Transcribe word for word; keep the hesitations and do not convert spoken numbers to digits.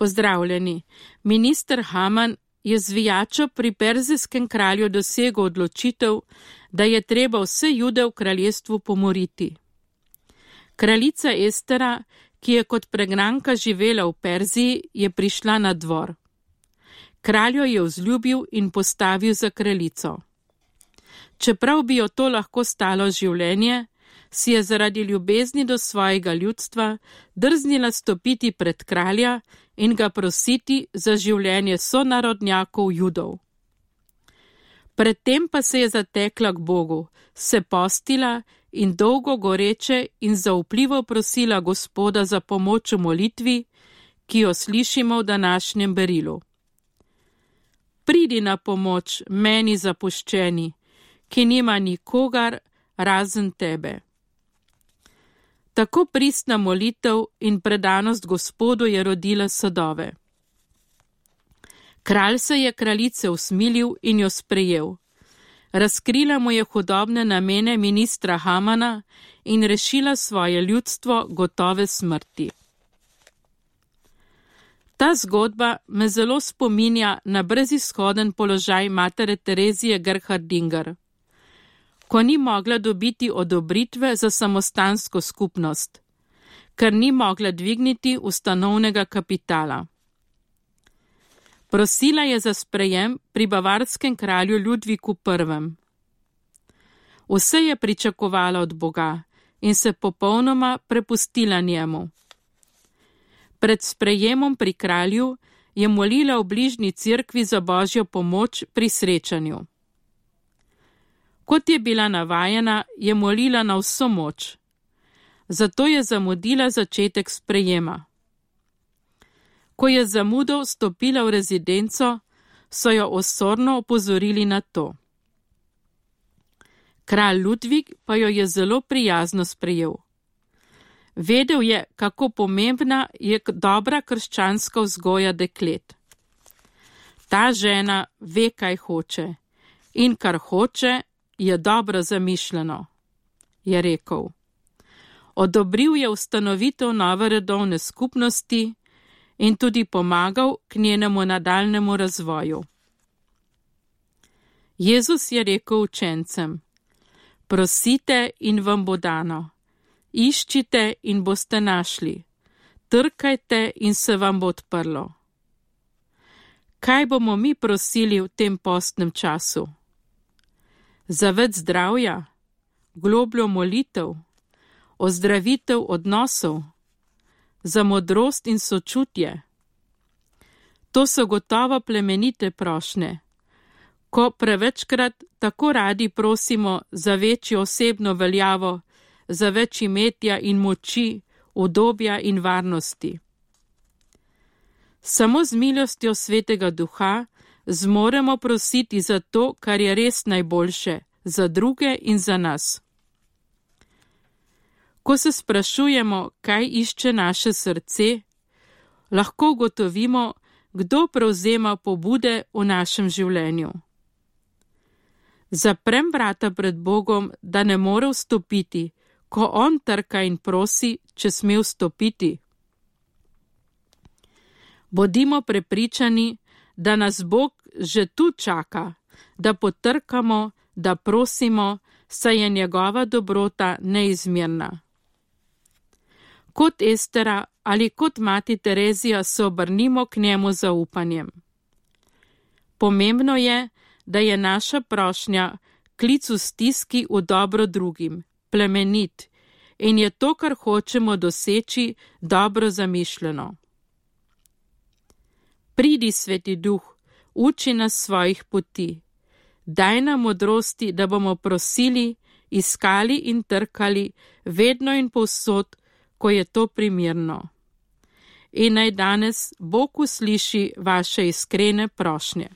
Pozdravljeni. Minister Haman je z zvijačo pri perzijskem kralju dosegel odločitev, da je treba vse Jude v kraljestvu pomoriti. Kraljica Estera, ki je kot pregnanka živela v Perziji, je prišla na dvor. Kralj jo je vzljubil in postavil za kraljico. Čeprav bi jo to lahko stalo življenje, si je zaradi ljubezni do svojega ljudstva drznila stopiti pred kralja in ga prositi za življenje sonarodnjakov Judov. Predtem pa se je zatekla k Bogu, se postila in dolgo goreče in zaupljivo prosila Gospoda za pomoč v molitvi, ki jo slišimo v današnjem berilu. Pridi na pomoč meni zapuščeni, ki nima nikogar razen tebe. Tako pristna molitev in predanost Gospodu je rodila sadove. Kralj se je kraljice usmilil in jo sprejel. Razkrila mu je hudobne namene ministra Hamana in rešila svoje ljudstvo gotove smrti. Ta zgodba me zelo spominja na brezizhoden položaj matere Terezije Gerhardinger, ko ni mogla dobiti odobritve za samostansko skupnost, ker ni mogla dvigniti ustanovnega kapitala. Prosila je za sprejem pri bavarskem kralju Ludviku prvem. Vse je pričakovala od Boga in se popolnoma prepustila njemu. Pred sprejemom pri kralju je molila v bližnji cerkvi za božjo pomoč pri srečanju. Kot je bila navajena, je molila na vso moč. Zato je zamudila začetek sprejema. Ko je zamudo vstopila v rezidenco, so jo osorno opozorili na to. Kralj Ludvik pa jo je zelo prijazno sprejel. Vedel je, kako pomembna je dobra krščanska vzgoja deklet. Ta žena ve, kaj hoče, in kar hoče, je dobro zamišljeno, je rekel. Odobril je ustanovitev nove redovne skupnosti in tudi pomagal k njenemu nadaljnemu razvoju. Jezus je rekel učencem: prosite in vam bo dano, iščite in boste našli, trkajte in se vam bo odprlo. Kaj bomo mi prosili v tem postnem času? Za več zdravja, globljo molitev, ozdravitev odnosov, za modrost in sočutje. To so gotovo plemenite prošnje, ko prevečkrat tako radi prosimo za večjo osebno veljavo, za več imetja in moči, udobja in varnosti. Samo z milostjo Svetega Duha zmoremo prositi za to, kar je res najboljše, za druge in za nas. Ko se sprašujemo, kaj išče naše srce, lahko ugotovimo, kdo prevzema pobude v našem življenju. Zaprem vrata pred Bogom, da ne more vstopiti, ko on trka in prosi, če sme vstopiti. Bodimo prepričani, da nas Bog že tu čaka, da potrkamo, da prosimo, saj je njegova dobrota neizmerna. Kot Estera ali kot mati Terezija se obrnimo k njemu z zaupanjem. Pomembno je, da je naša prošnja klic v stiski v dobro drugim, plemenit, in je to, kar hočemo doseči, dobro zamišljeno. Pridi, Sveti Duh, uči nas svojih poti. Daj nam modrosti, da bomo prosili, iskali in trkali, vedno in povsod, ko je to primerno. In naj danes Bog usliši vaše iskrene prošnje.